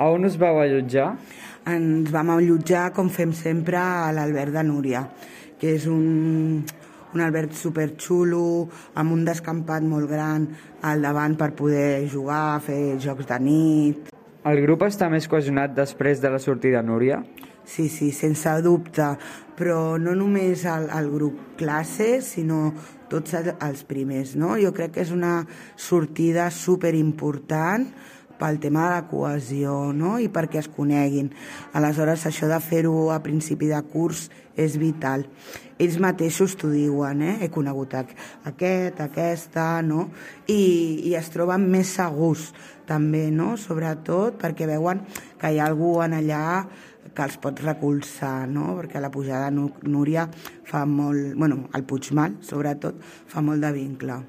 A on us vau allotjar? Ens vam allotjar, com fem sempre, a l'alberg de Núria, que és un alberg superxulo, amb un descampat molt gran al davant per poder jugar, fer jocs de nit. El grup està més cohesionat després de la sortida de Núria? Sí, sense dubte, però no només el grup classe, sinó tots els primers, no? Jo crec que és una sortida superimportant pel tema de la cohesió, no? I perquè es coneguin. Aleshores, això de fer-ho a principi de curs és vital. Ells mateixos t'ho diuen, he conegut aquesta, no? I es troben més segurs, també, no? Sobretot perquè veuen que hi ha algú en allà que els pot recolzar, no? Perquè la pujada de Núria fa molt... el Puigmal, sobretot, fa molt de vincle.